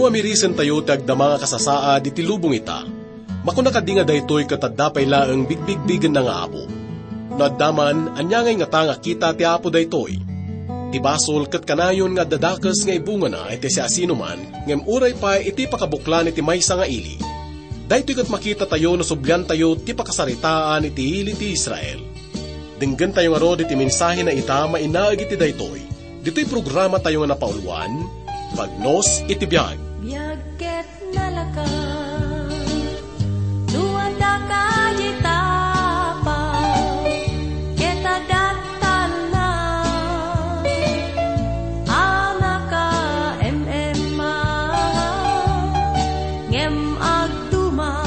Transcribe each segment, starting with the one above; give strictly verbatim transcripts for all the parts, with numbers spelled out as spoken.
Amirisen tayo ti agdama nga kasasaad iti lubong ita. Makuna kadi nga daytoy ket adda pay laeng bigbigbigenna nga Apo? No adda man, ania nga ingata nga kita ti Apo daytoy? Ti basol ket kanayon nga adda dakes nga ibungana iti siasinoman, ngem uray pay iti pakabuklan iti maysa nga ili. Daytoy ket makita tayo no sublian tayo ti pakasaritaan iti ili ti Israel. Denggen tayo ngarud iti mensahe na ita mainaig iti daytoy. Ditoy programa tayo nga napauluan, Bagnos iti Biag. Biag ket nalaka, no adda ka diay tapa, ket adattalna, a naka-M M A, ngem agduma.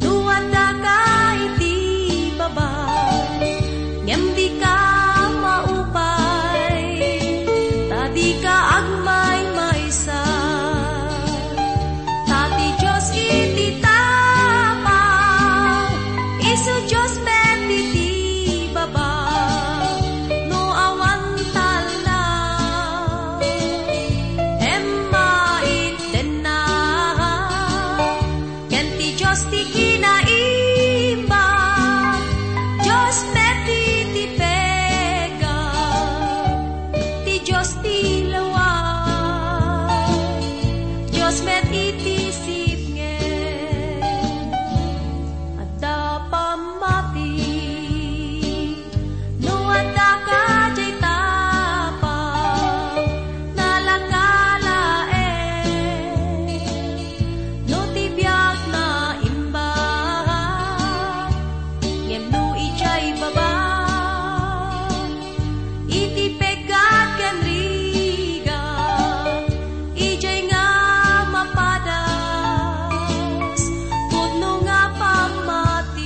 No addaka iti baba, ngem dika maupay, ta dika agmaymaysa. Ta ti Dios iti tapa, isu Dios met iti baba, no awan talna, Emma itdenna. Ken ti Dios ti kinaimbag, Dios met iti pega, ti Dios ti lawa, Dios met iti sipngen, adda pammati. No addaka diay tapa, nalaka laeng. No ti biag naimbag, ngem no idiay baba, iti peggat ken rigat, idiay nga mapadas, pudno nga pammati.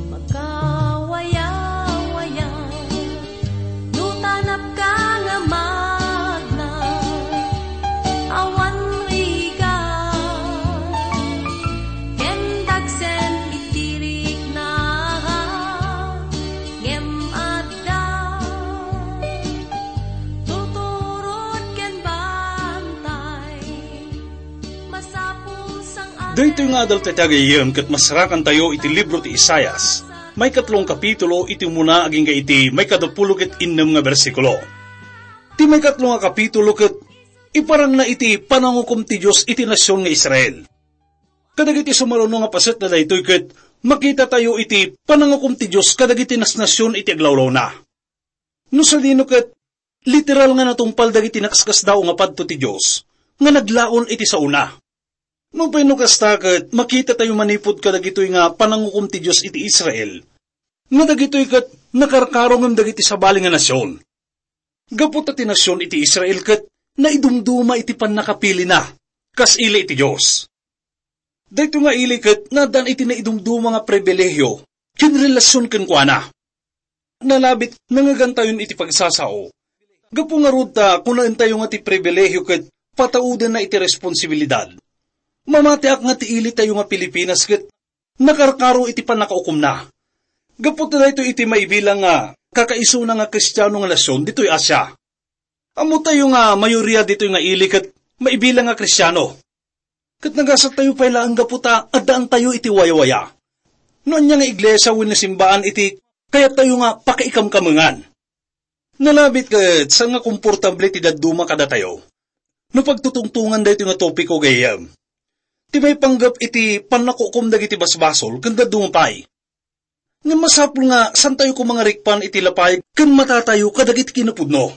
Makawayawaya, no tanapka nga magna, awan rigat, ken dagsen iti rikna, ngem adda tuturod ken bantay. Masapul sang-, daytoy nga adal tayo, gayam, ket masarakan tayo iti libro ti Isaias, maikatlo nga kapitulo, iti umuna agingga iti maikadapulo ket innem nga bersikulo. Ti maikatlo nga kapitulo ket iparangna iti panangukom ti Dios iti nasion nga Israel. Kadagiti sumaruno nga paset na daytoy ket makita tayo iti panangukom ti Dios kadagiti nasnasion iti aglawlawna. No sadino ket literal nga natungpal dagiti nakaskasdaaw nga padto ti Dios nga naglaon iti saona. Nupay no kasta ket makita tayo manipud kadagitoy nga panangukom ti Dios iti Israel, nga dagitoy ket nakarkaro ngem dagiti sabali nga nasion. Gapu ta ti nasion iti Israel ket naidumduma iti pannakapilina kas ili iti Dios. Daytoy nga ili ket naaddan iti naidumduma nga pribilehiyo ken relasion kenkuana. Nalabit nangagantayon iti pagsasao. Gapu ngarud ta kunaentayo nga ti pribilehiyo ket pataudenna iti responsibilidad. Mamatiak nga ti ilitayo nga Pilipinas ket nakarkaro iti pannakaukomna. Gapu ta daytoy iti maibilang nga kakaisuna nga Kristiano nga nasion ditoy Asia. Ammotayo nga mayoria ditoy nga ili ket maibilang nga Kristiano. Ket nagasat tayo pay laeng gapu ta addaantayo iti wayawaya. No ania nga iglesia wenno simbaan iti kayattayo nga pakaikamkamengan. Nalabit ket saan nga komportable ti dadduma kadatayo no pagtutungtongan daytoy nga topiko, gayyem. Ti maipanggep iti pannakukom dagiti basbasol ken dadduma pay. Ngem masapul nga santayo koma nga rikpan iti lapayag ken matatayo kadagiti kinapudno.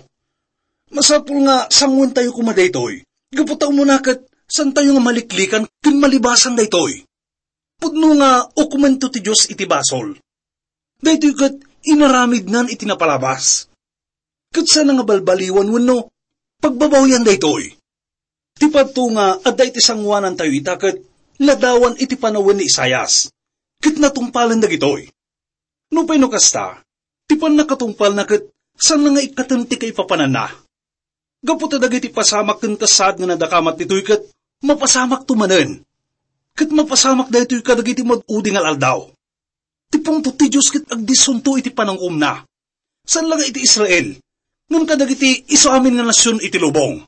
Masapul nga sanguentayo koma daytoy, gapu ta umuna ket santayo nga maliklikan ken malibasan daytoy. Pudno nga ukomento ti Dios iti basol. Daytoy ket inaramidnan iti napalabas. Ket saan nga balbaliwan wenno pagbabawian daytoy. Ti padto nga adda iti sangoanantayo ita ket ladawan iti panawen ni Isaias, ket natungpalen dagitoy. Nupay no kasta, ti pannakatungpalna ket saan nga ikkaten ti kaipapananna. Gapu ta dagiti pasamak ken kas saad nga nadakamat ditoy ket mapasamakto manen. Ket mapasamak daytoy kadagiti mad-udi nga al-aldaw. Ti pungtot ti Dios ket agdisunto iti panangukomna. Saan la nga iti Israel, ngem kadagiti isu amin nga nasion iti lubong.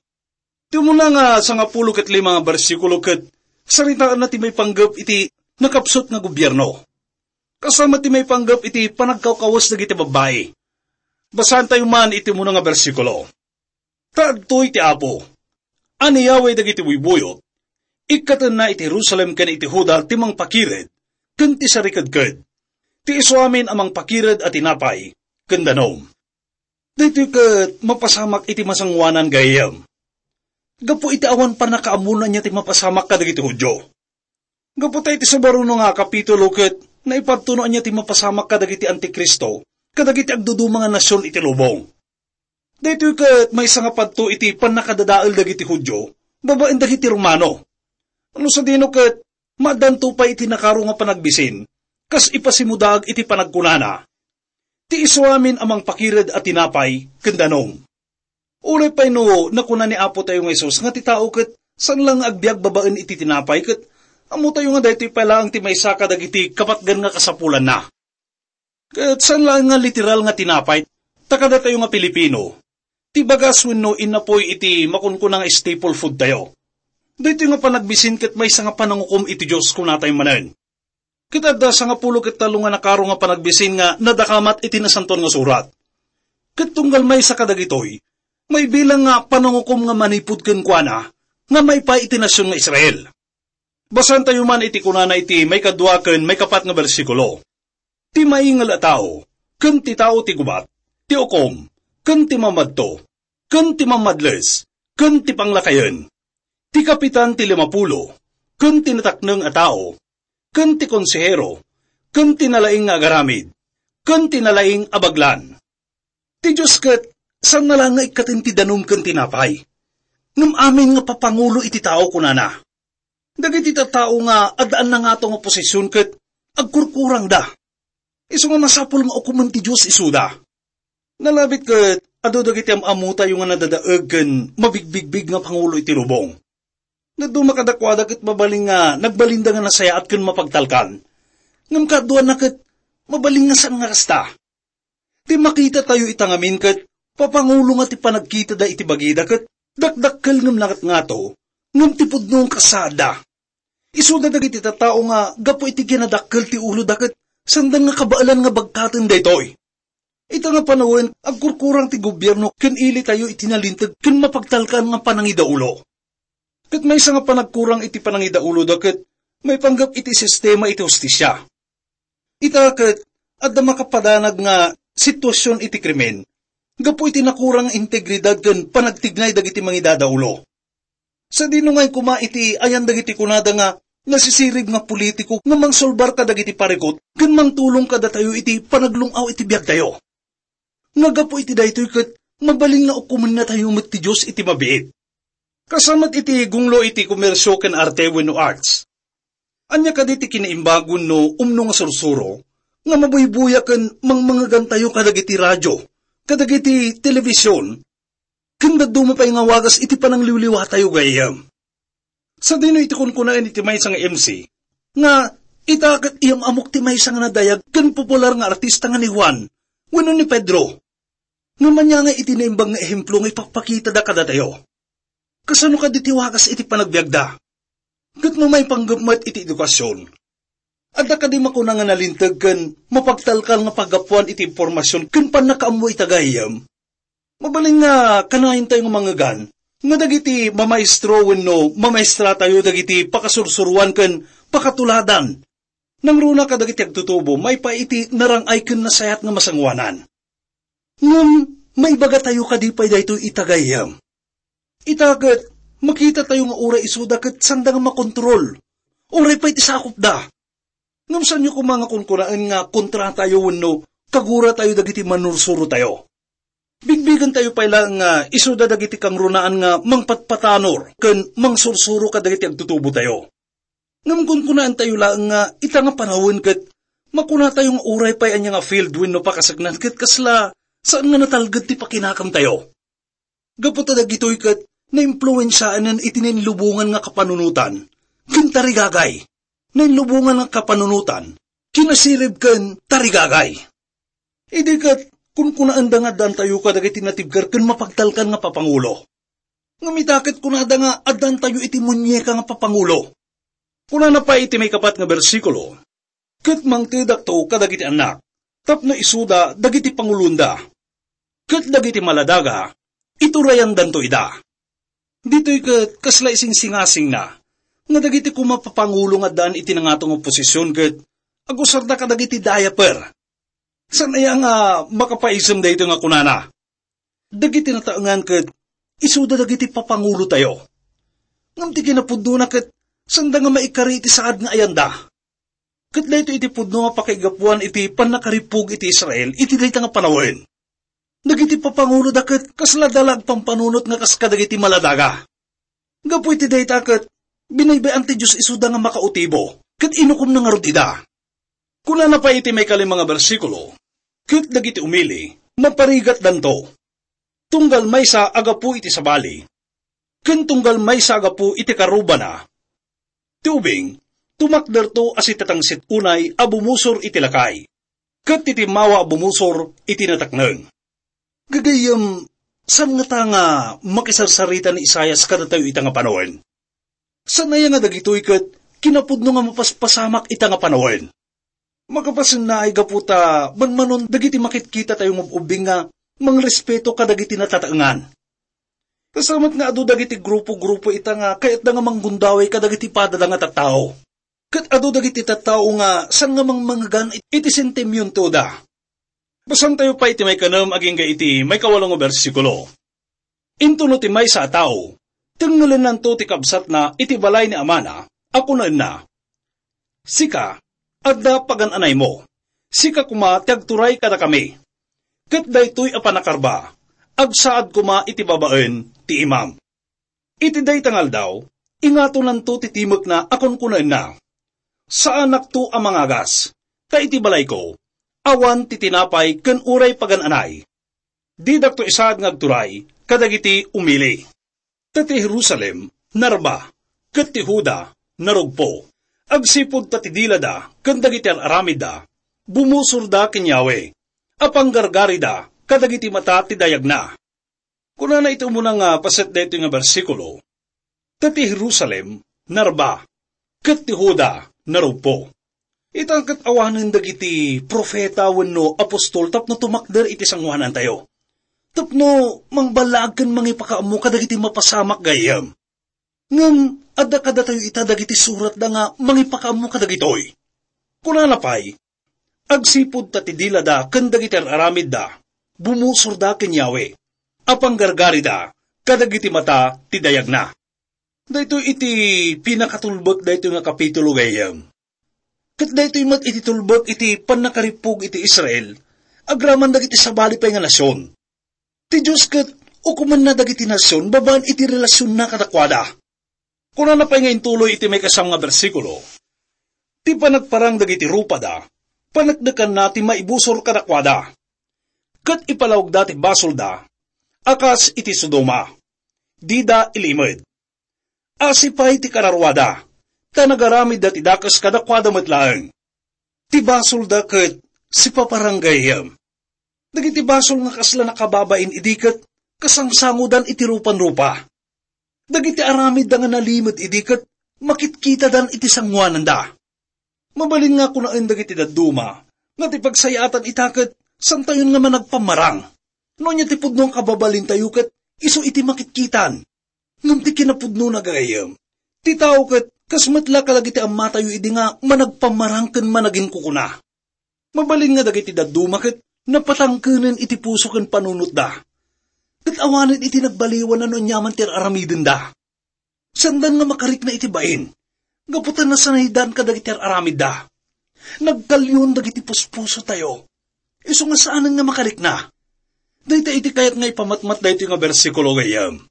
Ti umuna nga sangapulo ket lima nga bersikulo ket saritaenna ti maipanggep iti nakapsut nga gobierno. Kasama ti maipanggep iti panagkawkawes dagiti babbai. Basaentayo man iti umuna nga bersikulo. Ta adtoy ti Apo, a ni Yahweh dagiti buybuyot, ikkatenna iti Jerusalem ken iti Juda ti mangpakired ken ti sarikedked, ti isu amin a mangpakired a tinapay ken danum. Daytoy ket mapasamak iti masangoanan gayyem. Gapu iti awan pannakaammo no ania ti mapasamak kadagiti Judio. Gapu ta iti sumaruno nga kapitulo ket naipadto no ania ti mapasamak kadagiti Antikristo, kadagiti agduduma nga nasion iti lubong. Daytoy ket maysa nga padto iti pannakadadael dagiti Judio babaen dagiti Romano. No sadino ket maaddanto pay iti nakaro nga panagbisin, kas ipasimudaag iti panagkunana, ti isu amin a mangpakired a tinapay ken danum. Uray pay no nakuna ni Apo tayo nga Jesus nga ti tao ket saan la nga agbiag babaen iti tinapay ket ammo tayo nga daytoy pay laeng ti maysa kadagiti kapatgan nga kasapulanna. Ket saan laeng nga literal nga tinapay, ta kadatayo nga Pilipino, ti bagas wenno innapoy iti makunkuna nga staple food tayo. Daytoy nga panagbisin ket maysa nga panangukom iti Dios, kunatayo manen. Ket adda sangapulo ket tallo nga nakaro nga panagbisin nga nadakamat iti Nasantoan nga Surat. Ket tunggal maysa kadagitoy, maibilang nga panangukom nga manipud kenkuana nga maipa iti nasion nga Israel. Basaentayo man iti kunana iti maikadua ken maikapat nga bersikulo. Ti maingel a tao, ken ti tao ti gubat, ti ukom, ken ti mamadto, ken ti mamadles, ken ti panglakayen. Ti kapitan ti limapulo, ken ti natakneng a tao, ken ti konsehero, ken ti nalaing nga agaramid, ken ti nalaing a baglan. Ti Dios ket, saan na la nga ikkaten ti danum ken tinapay. Ngem amin nga papangulo iti tao, kunana. Dagiti tattao nga addaan nangato nga posisyon ket agkurkurangda. Isu nga masapul nga ukomen ti Dios isuda. Nalabit ket adu dagiti am-ammotayo nga nadadaeg ken mabigbigbig nga pangulo iti lubong. Dadduma kadakuada ket mabalin nga nagbalinda nga nasayaat ken mapagtalkan. Ngem kaduana ket mabalin nga saan nga kasta. Ti makitatayo ita ngamin ket papangulo nga ti panagkitada iti bagida ket dakdakkel ngem nangatngato, ngem ti pudno nga kasaadda. Isuda dagiti tattao nga gapu iti kinadakkel ti uloda ket sanda nga kabaelan nga bagkaten daytoy. Ita nga panawen, agkurkurang ti gobierno ken ilitayo iti nalinteg ken mapagtalkan nga panangidaulo. Ket maysa nga panagkurang iti panangidauloda ket maipanggep iti sistema iti hustisia. Ita ket adda makapadanag nga sitwasyon iti krimen gapu iti nakurang nga integridad ken panagtignay dagiti mangidadaulo. Sadino ngay koma iti ayan dagiti kunada nga nasisirib nga politiko nga mangsulbar kadagiti parikut ken mangtulong kadatayo iti panaglung-aw iti biagtayo. Nga gapu iti daytoy ket mabalin nga ukomennatayo met ti Dios iti mabiit. Kasano met iti gunglo iti komersio ken arte wenno arts? Ania kadi ti kinaimbag wenno umno nga sursuro nga mabuybuya ken mangmangegantayo kadagiti radio, kadagiti telebision, ken dadduma pay nga wagas iti panangliwliwatayo gayyem? Sadino iti kunkunaen iti maysa nga M C nga ita ket iyam-amok ti maysa nga nadayag ken popular nga artista nga ni Juan wenno ni Pedro? Ngem ania nga iti naimbag nga ehemplo nga ipakpakitada kadatayo? Kasano kadi ti wagas iti panagbiagda? Ket no maipanggep met iti edukasyon, adda kadi makuna nga nalinteg ken mapagtalkal nga paggapuan iti impormasyon ken pannakaammo ita gayyem? Mabalin nga kanayentayo nga mangegan nga dagiti mamaestro wenno mamaestratayo dagiti pakasursuroan ken pakatuladan nangruna kadagiti agtutubo maipaay iti narang-ay ken nasayaat nga masangoanan. Ngem maibagatayo kadi pay daytoy ita gayyem? Ita ket makitatayo nga uray isuda ket sanda nga makontrol, uray pay ti sakopda. Ngem saanyo koma nga kunkunaen nga kontratayo wenno kaguratayo dagiti mannursurotayo? Bigbigentayo pay laeng nga isuda dagiti kangrunaan nga mangpatpatanor ken mangsursuro kadagiti agtutubotayo. Ngem kunkunaentayo laeng nga ita nga panawen ket makunatayo nga uray pay ania nga field wenno pakasaknan ket kasla saan nga natalged ti pakinakamtayo. Gapu ta dagitoy ket naimpluensiaenen iti nainlubongan nga kapanunotan ken tarigagay. Nainlubongan nga kapanunotan, kinasirib ken tarigagay. Idi ket kunkunaenda nga addantayo kadagiti natibker ken mapagtalkan nga papangulo. Ngem ita ket kunada nga addantayo iti muñeka nga papangulo. Kunana pay iti maikapat nga bersikulo, "Ket mangtedakto kadagiti annak, tapno isuda dagiti panguloenda, ket dagiti maladaga, iturayandanto ida." Ditoy ket kasla isingsingasingna nga dagiti koma papangulo nga addaan iti nangato nga posisyon ket agusarda kadagiti diaper. Saan aya nga makapaisem daytoy nga kunana? Dagiti nataengan ket isuda dagiti papangulotayo. Ngem ti kinapudnona ket sanda nga maikari iti saad nga ayanda. Ket daytoy iti pudno nga pakaigapuan iti pannakarippug iti Israel iti dayta nga panawen. Dagiti papanguloda ket kasla da la agpampanunot nga kas kadagiti maladaga. Gapu iti dayta ket binaybay-an ti Dios isuda nga makautibo, ket inukomna ngarud ida. Kunana pay iti maikalima nga bersikulo, "Ket dagiti umili, maparigatdanto. Tunggal maysa a gapu iti sabali, ken tunggal maysa a gapu iti karrubana. Ti ubing, tumakderto a sitatangsit unay a bumusor iti lakay, ket ti timmawa a bumusor iti natakneng." Gagayyem, saan ngata nga makisarsarita ni Isaias kadatayo ita nga panawen? Saan aya nga dagitoy ket kinapudno nga mapaspasamak ita nga panawen? Makapasennaay gapu ta manmanon dagiti makitkitatayo nga ub-ubbing nga mangrespeto kadagiti natataengan. Kasta met nga adu dagiti grupo-grupo ita nga kayatda nga manggundaway kadagiti padada nga tattao. Ket adu dagiti tattao nga saan nga mangmangegan iti sentimentoda. Basaentayo pay iti maikanem agingga iti maikawalo nga bersikulo. Intono ti maysa a tao, tengngelennanto ti kabsatna iti balay ni amana a kunaenna, "Sika, adda pagan-anaymo. Sika koma ti agturay kadakami. Ket daytoy a pannakarba, agsaad koma iti babaen ti imam." Iti dayta nga aldaw, ingatonanto ti timekna a kunkunaenna, "Saanakto a mangagas, ta iti balayko, awan ti tinapay ken uray pagan-anay. Didakto isaad nga agturay kadagiti umili." Ta ti Jerusalem, narba, ket ti Juda, narugpo. Agsipud ta ti dilada ken dagiti ar-aramidda, bumusorda ken Yahweh, a panggargarida kadagiti mata ti dayagna. Kunana iti umuna nga paset daytoy nga bersikulo, "Ta ti Jerusalem, narba, ket ti Juda, narugpo." Ita ket awanen dagiti profeta wenno apostol tapno tumakder iti sangoanantayo. Tapno mangballaag ken mangipakaammo kadagiti mapasamak gayyem. Ngem adda kadatayo ita dagiti suratda nga mangipakaammo kadagitoy. Kunana pay, "Agsipud ta ti dilada ken dagiti ar-aramidda, bumusorda ken Yahweh, a panggargarida kadagiti mata ti dayagna." Daytoy iti pinakatulbek daytoy nga kapitulo gayyem. Ket daytoy met iti tulbek iti pannakarippug iti Israel agraman dagiti sabali pay nga nasion. Ti Dios ket ukomenna dagiti nasion babaen iti relasionna kadakuada. Kunana pay nga intuloy iti maikasam nga bersikulo, "Ti panagparang dagiti rupada, paneknekanna ti maibusor kadakuada, ket ipalawagda ti basolda a kas iti Sodoma. Dida ilimed. Asi pay ti kararuada, ta nagaramidda ti dakes kadakuada met laeng. Ti basolda ket sipaparang gayyem. Dagiti basol nga kasla nakababain idi ket kasangsangodan iti rupan-rupa. Dagiti aramidda nga nalimed idi ket makitkitadan iti sangoananda." Mabalin nga kunaen dagiti dadduma nga ti pagsayaatan ita ket santayon nga managpammarang. No ania ti pudno nga kababalintayo ket isu iti makitkitan. Ngem ti kinapudnona, gagayyem, ti tao ket kas met la kadagiti ammatayo idi nga managpammarang ken managinkukuna. Mabalin nga dagiti dadduma ket napatangkenen iti puso ken panunotda. Ket awanen iti nagbaliwan no aniaman ti ar-aramidenda. Saandan nga makarikna iti bain, gapu ta nasanaydan kadagiti ar-aramidda. Nagkalyon dagiti puspusotayo. Isu nga saanen nga makarikna. Dayta iti kayat nga ipamatmat daytoy nga bersikulo, gayyem.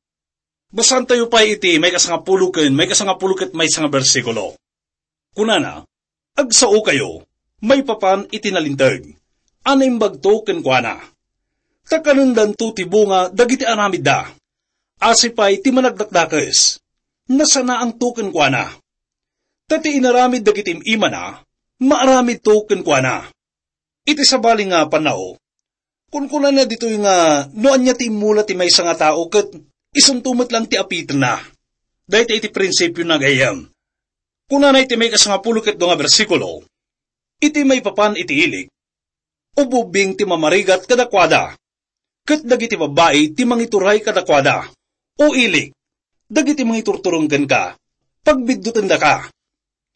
Basaantayo pay iti maikasangapulo ken maikasangapulo ket maysa nga bersikulo. Kunana, "Agsaokayo, maipapan iti nalinteg a naimbagto kenkuana. Ta kanendanto ti bunga dagiti aramidda. Asi pay ti managdakdakes, nasanaangto kenkuana. Ta ti inaramid dagiti im-imana, maaramidto kenkuana." Iti sabali nga pannao, kunkunana ditoy nga no ania ti immula ti maysa nga tao ket isunto met lang ti apitenna. Dayta iti prinsipio nga gayyem. Kunana iti maikasangapulo ket dua nga bersikulo, "Iti maipapan iti ilik, ubbing ti mamarigat kadakuada, ket dagiti babbai ti mangituray kadakuada. O ilik, dagiti mangiturturong kenka, pagbiddutendaka,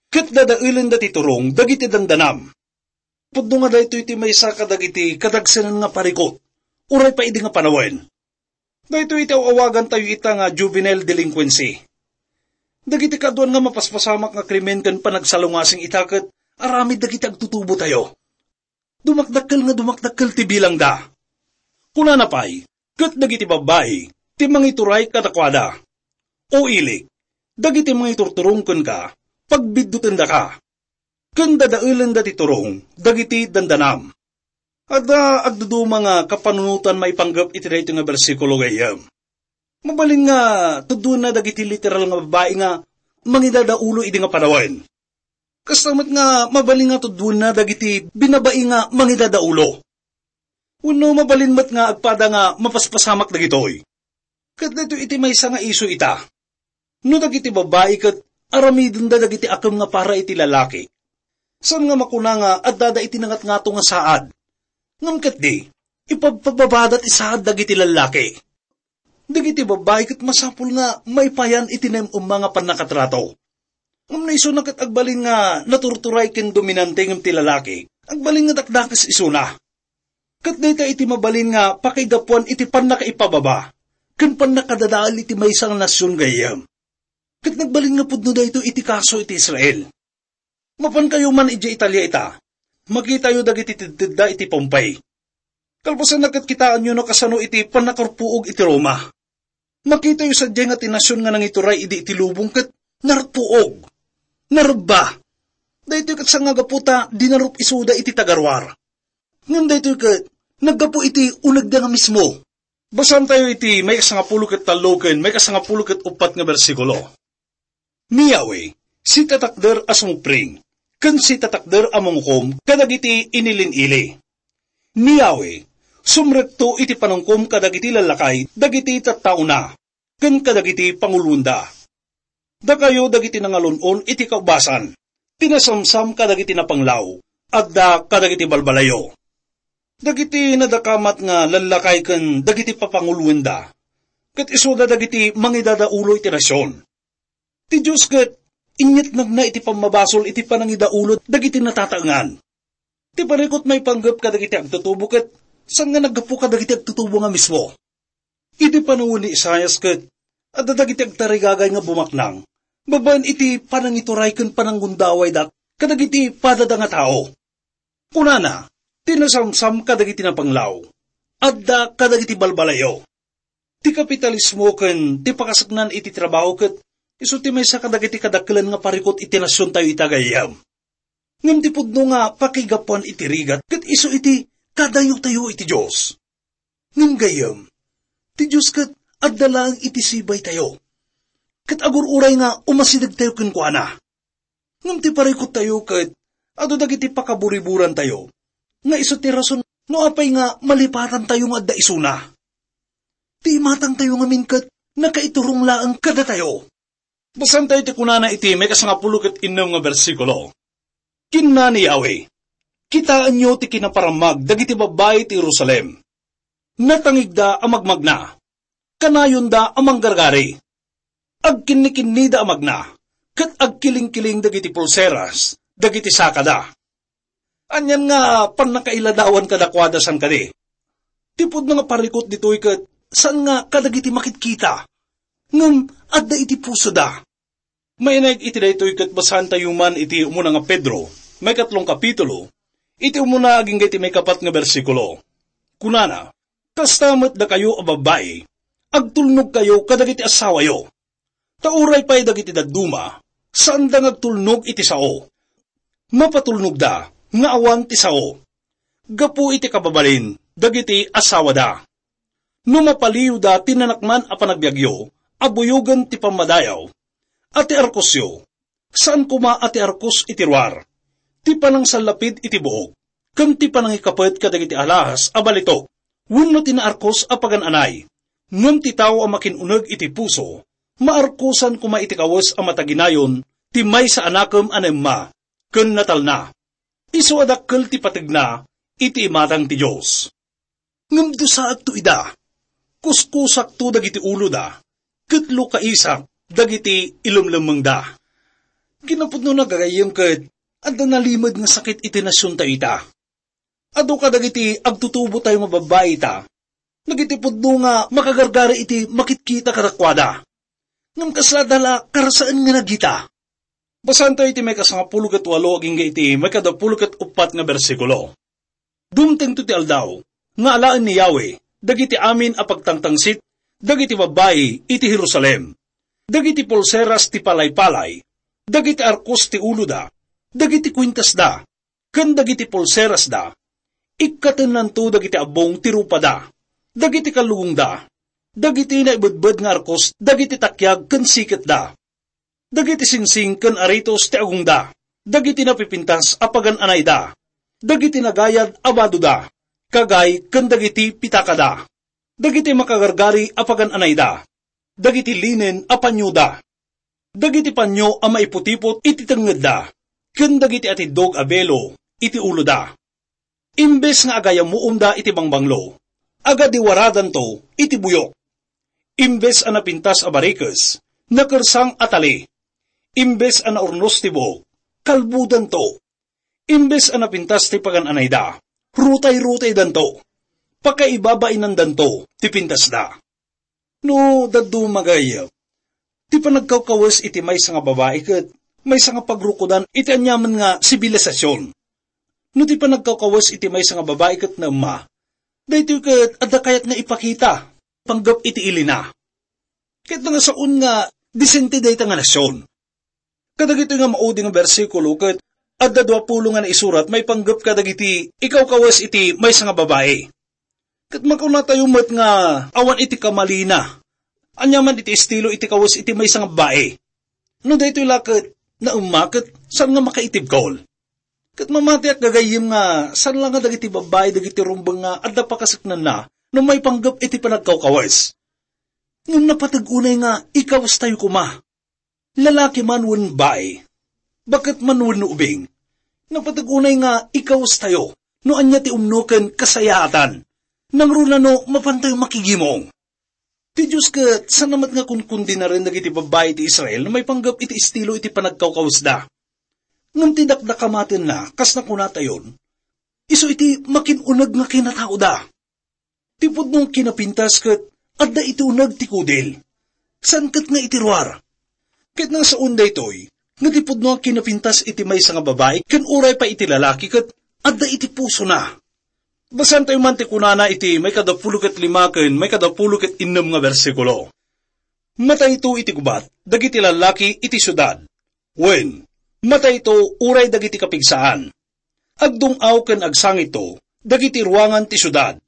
ket dadaelenda ti turong dagiti dandanam." Pudno nga daytoy ti maysa kadagiti kadagsenan nga parikut, uray pay idi nga panawen. Daytoy iti aw-awagantayo ita nga juvenile delinquency. Dagiti kaaduan nga mapaspasamak nga krimen ken panagsalungasing ita ket aramid dagiti agtutubotayo. Dumakdakkel nga dumakdakkel ti bilangda. Kunana pay, ket dagiti babbai ti mangituray kadakuada. O ilik, dagiti mangiturturong kenka, pagbiddutendaka, ken dadaelenda ti turong dagiti dandanam. Adda agduduma nga kapanunotan maipanggep iti daytoy nga bersikulo, gayyem. Mabalin nga tuddoenna dagiti literal nga babbai nga mangidadaulo idi nga panawen. Kasta met nga mabalin nga tuddoenna dagiti binabai nga mangidadaulo. Wenno mabalin met nga agpada nga mapaspasamak dagitoy. Ket daytoy iti maysa nga isu ita. No dagiti babbai ket aramidenda dagiti akem nga para iti lalaki, saan nga makuna nga addada iti nangatngato nga saad. Ngem ketdi, ipabpababada ti saad dagiti lallaki. Dagiti babbai ket masapul nga maipayan iti naem-emma nga pannakatrato. Ngem no isuna ket agbalin nga naturturay ken dominante ngem ti lalaki, agbalin nga dakdakes isuna. Ket dayta iti mabalin nga pakaigapuan iti pannakaipababa ken pannakadadael iti maysa nga nasion, gayyem. Ket nagbalin nga pudno daytoy iti kaso iti Israel. Mapankayo man idiay Italia ita, makitayo dagiti teddetedda iti Pompey. Kalpasanna ket kitaenyo no kasano iti pannakarpuog iti Roma. Makitayo sadiay nga ti nasion nga nangituray idi iti lubong ket narpuog, narebba. Daytoy ket sangagapu ta dinarup isuda iti tagaruar. Ngem daytoy ket naggapu iti unegda nga mismo. Basaantayo iti maikasangapulo ket tallo ken maikasangapulo ket uppat nga bersikulo. Ni Yahweh, sitatakder a sumupring, ken sitatakder a mangukom kadagiti inilin-ili. Ni Yahweh, sumrekto iti panungkom kadagiti lallakay dagiti tattaona, ken kadagiti panguloenda. Dakayo dagiti nangalun-on iti kaubasan, ti nasamsam kadagiti napanglaw, adda kadagiti balbalayo. Dagiti nadakamat nga lallakay ken dagiti papanguloenda, ket isuda dagiti mangidadaulo iti nasion. Ti Dios ket inyatnagna iti pammabasol iti panangidaulo dagiti natataengan. Ti parikut maipanggep kadagiti agtutubo ket saan nga naggapu kadagiti agtutubo nga mismo. Idi panawen ni Isaias ket adda dagiti agtarigagay nga bumaknang babaen iti panangituray ken pananggundawayda kadagiti padada nga tao. Kunana, ti nasamsam kadagiti napanglaw, adda kadagiti balbalayo. Ti kapitalismo ken ti pakasaknan iti trabaho ket isu ti maysa kadagiti kadakkelan nga parikut iti nasiontayo ita, gayyem. Ngem ti pudno nga pakigapuan iti rigat ket isu iti kadayotayo iti Dios. Ngem gayyem, ti Dios ket adda laeng iti sibaytayo, ket agur-uray nga umasidegtayo kenkuana. Ngem ti parikuttayo ket adu dagiti pakaburiburantayo, nga isu ti rason no apay nga malipatantayo nga adda isuna. Ti imatangtayo ngamin ket nakaiturong laeng kadatayo. Basaantayo ti kunana iti maikasangapulo ket innem nga bersikulo. Kinuna ni Yahweh, "Kitaenyo ti kinaparammag dagiti babbai ti Jerusalem. Natangigda a magmagna, kanayonda a manggargari. Agkinnikinnida a magna, ket agkilingkiling dagiti pulseras dagiti sakada." Anian nga pannakailadawan kadakuada, saan kadi? Ti pudno nga parikut ditoy ket saan nga kadagiti makitkita, ngem adda iti pusoda. Mainaig iti daytoy ket basaantayo man iti umuna nga Pedro, maikatlong kapitulo, iti umuna agingga iti maikapat nga bersikulo. Kunana, Kasta met dakayo a babbai, agtulnogkayo kadagiti asawayo. Ta uray pay dagiti dadduma, saanda nga agtulnog iti sao. Mapatulnogda nga awan ti sao. Gapu iti kababalin dagiti asawada. No mapaliwda ti nanakman a panagbiagyo a buyogen ti pammadayaw, a ti arkosyo, saan koma a ti arkos iti ruar, ti panangsallapid iti buog, ken ti panangikapet kadagiti alahas a balitok, wenno ti naarkos a pagan-anay. Ngem ti tao a makin-uneg iti puso, maarkosan koma iti kawes a mataginayon ti maysa a nakem a naemma ken natalna. Isu a dakkel ti pategna iti imatang ti Dios. Ngem dusaakto ida, kuskusakto dagiti uloda, ket lukaisak dagiti ilemlemmengda. Kinapudnona, gagayyem, ket adda nalimed nga sakit iti nasiontayo ita. Adu kadagiti agtutubotayo nga babbai ita, dagiti pudno nga makagargari iti makitkita kadakuada. Ngem kasla da la karasaen nga nagita. Basaentayo iti maikasangapulo ket walo agingga iti maikadapulo ket uppat nga bersikulo. Dumtengto ti aldaw nga alaen ni Yahweh dagiti amin a pagtangtangsit dagiti babbai iti Jerusalem, dagiti pulseras ti palaypalay, dagiti arkos ti uloda, dagiti kuintasda, ken dagiti pulserasda. Ikkatennanto dagiti abbong ti rupada, dagiti kallugongda, dagiti naibedbed nga arkos dagiti takiag ken siketda, dagiti singsing ken aritos ti agongda, dagiti napipintas a pagan-anayda, dagiti nagayad a badoda, kagay ken dagiti pitakada, dagiti makagargari a pagan-anayda, dagiti linen a panioda, dagiti panio a maiputipot iti tengngedda, ken dagiti atiddog a belo iti uloda. Imbes nga agayamuomda iti bangbanglo, agadiwaradanto iti buyok. Imbes a napintas a barikes, nakersang a tali. Imbes a naurnos ti buok, kalbodanto. Imbes a napintas ti pagan-anayda, rutay-rutaydanto. Pakaibabainandanto ti pintasda. No dadduma, gagayyem, ti panagkawkawes iti maysa nga babai ket maysa nga pagrukodan iti aniaman nga sibilisasyon. No ti panagkawkawes iti maysa nga babai ket naemma, daytoy ket adda kayat nga ipakita, panggep iti ilina. Ket nga saon nga disente dayta nga nasion. Kadagitoy nga maudi nga bersikulo ket adda duapulo nga naisurat maipanggep kadagiti ikawkawes iti maysa nga babai. Ket makunatayo met nga awan iti kamalina. Aniaman iti estilo iti kawes iti maysa nga babai. No daytoy la ket naemma ket saan nga makaitibkol. Ket mamatiak, gagayyem, nga saan la nga dagiti babbai dagiti rumbeng nga adda pakaseknanna no maipanggep iti panagkawkawes. Ngem napateg unay nga ikawestayo koma. Lalaki man wen bai, baket man wen ubing, napateg unay nga ikawestayo no ania ti umno ken kasayaatan, nangruna no mapantayo makigimong. Ti Dios ket saan met nga kunkundinaren dagiti babbai ti Israel no maipanggep iti estilo iti panagkawkawesda. Ngem ti dakdakamatenna, kas nakunatayon, isu iti makin-uneg nga kinataoda. Ti pudno nga kinapintas ket adda iti uneg ti kudil, saan ket nga iti ruar. Ket nasaon daytoy, nga ti pudno nga kinapintas iti maysa nga babai ken uray pay iti lalaki ket adda iti pusona. Basaentayo man ti kunana iti maikadapulo ket lima ken maikadapulo ket innem nga bersikulo. Matayto iti gubat dagiti lallaki iti siudad, wen, matayto uray dagiti kapigsaan. Agdung-aw ken agsangitto dagiti ruangan ti siudad,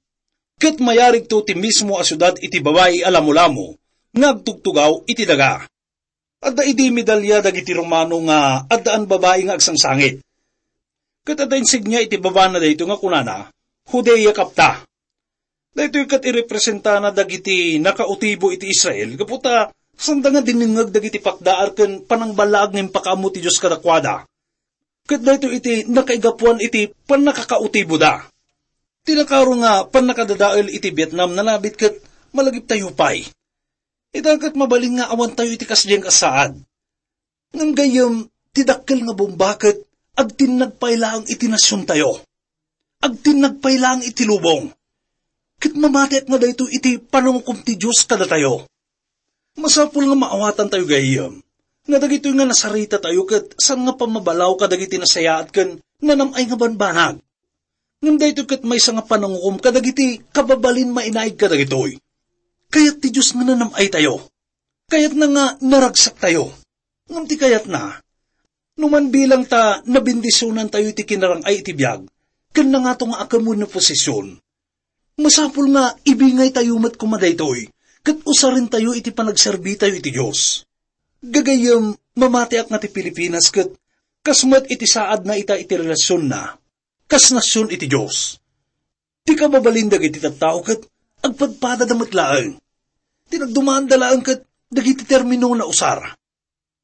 ket mayarigto ti mismo a siudad iti babai a lamolamo nga agtugtugaw iti daga. Adda idi medalya dagiti Romano nga addaan babai nga agsangsangit. Ket adda insignia iti babana daytoy nga kunana, "Judea Capta." Daytoy ket irepresentana dagiti nakautibo iti Israel, gapu ta sanda nga dinengngeg dagiti pakdaar ken panangballaag nga impakaammo ti Dios kadakuada. Ket daytoy iti nakaigapuan iti pannakakautiboda. Ti nakaro nga pannakadadael iti Vietnam nalabit ket malagiptayo pay. Ita ket mabalin nga awantayo iti kasdiay nga saad. Ngem gayyem, ti dakkel nga bomba ket agtinnag pay laeng iti nasiontayo. Agtinnag pay laeng iti lubong. Ket mamatiak nga daytoy iti panangukom ti Dios kadatayo. Masapul nga maawatantayo gayyem nga dagitoy nga nasaritatayo ket saan nga pammabalaw kadagiti nasayaat ken nanam-ay nga banbanag. Ngem daytoy ket maysa nga panangukom kadagiti kababalin mainaig kadagitoy. Kayat ti Dios nga nanam-aytayo. Kayatna nga naragsaktayo. Ngem ti kayatna, no man bilang ta nabendisionantayo iti kinarang-ay iti biag, ken nangato nga akem wenno posesyon, masapul nga ibingaytayo met koma daytoy, ket usarentayo iti panagserbitayo iti Dios. Gagayyem, mamatiak nga ti Pilipinas ket kas met iti saadna ita iti relasionna kas nasion iti Dios. Ti kababalin dagiti tattao ket agpadpadada met laeng. Ti nagdumanda laeng ket dagiti termino nga nausar.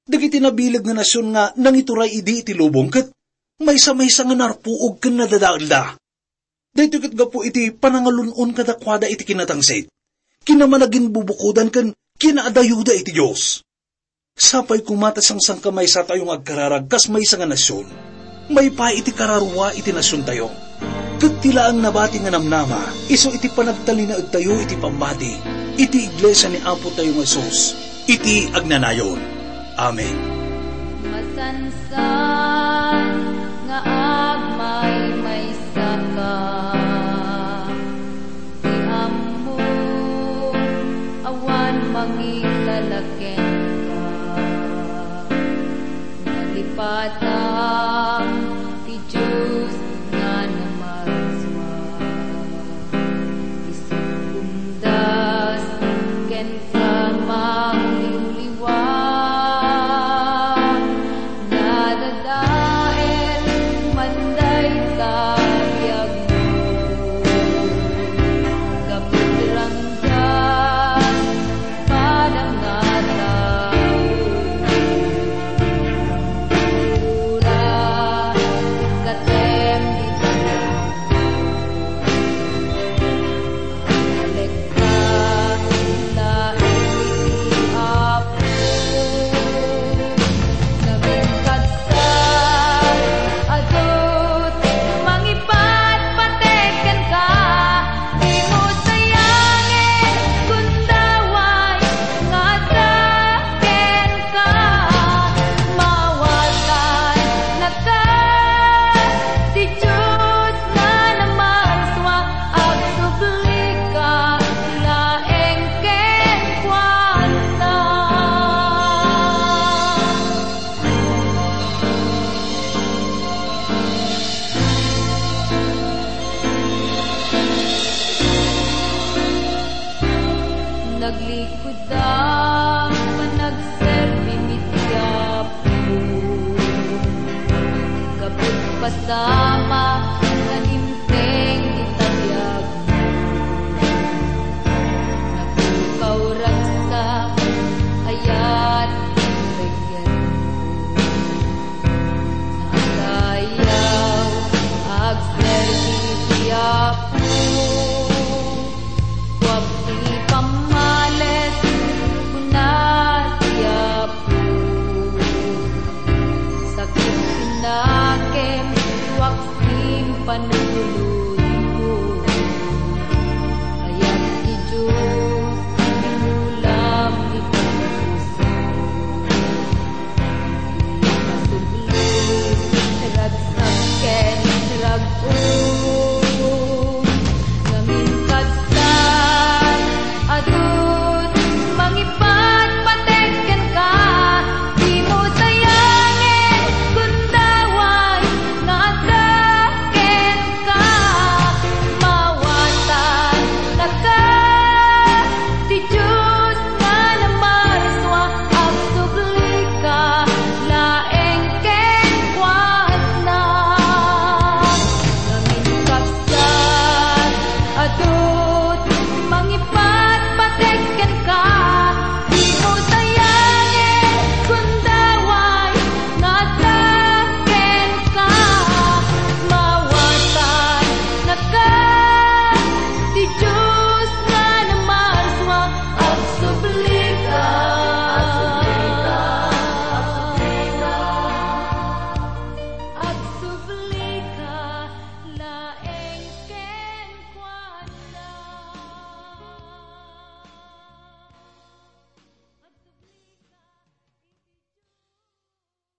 Dagiti nabileg nga nasion nga nangituray idi iti lubong ket maysa-maysa nga narpuog ken nadadaelda. Daytoy ket gapu iti panangalun-on kadakuada iti kinatangsit. Kinamanaginbubukodan ken kinaadayoda iti Dios. Sapay koma ta sangsangkamaysatayo nga agkararag kas maysa nga nasion. Maipaay iti kararua iti nasiontayo. Ket ti laeng nabati nga namnama, isu iti panagtalinaedtayo iti pammati iti iglesia ni Apotayo nga Jesus iti agnanayon. Amen. Masansan nga agmaymaysaka, ti ammom awan mangilala kenka. Nalipatan ti Dios nga namarsua. Isu kumdas kenka mauliwliwan. Nadadael man dayta biagmo. Gapu ti ranggan padang a tao. Ura, katem dita. Alekka, laeng iti Apo. Nagingkagsa, adu ti mangipatpateg kenka. Dimo sayangen, gundaway nga adda kenka. Mawatanaka, ti Dios nga namarsua, agsublika laeng kenkuana. Naglikudam, panagserbim iti Apo. Gapu ti pasamak nga dimteng ti tabiagmo. Napukaw, ragsak, ayat ti pagyanmo. Naadayaw, agserbi ti Apo. Guap ti pammales, kuna ti Apo. Sakit ti nakem, duak ti panulong.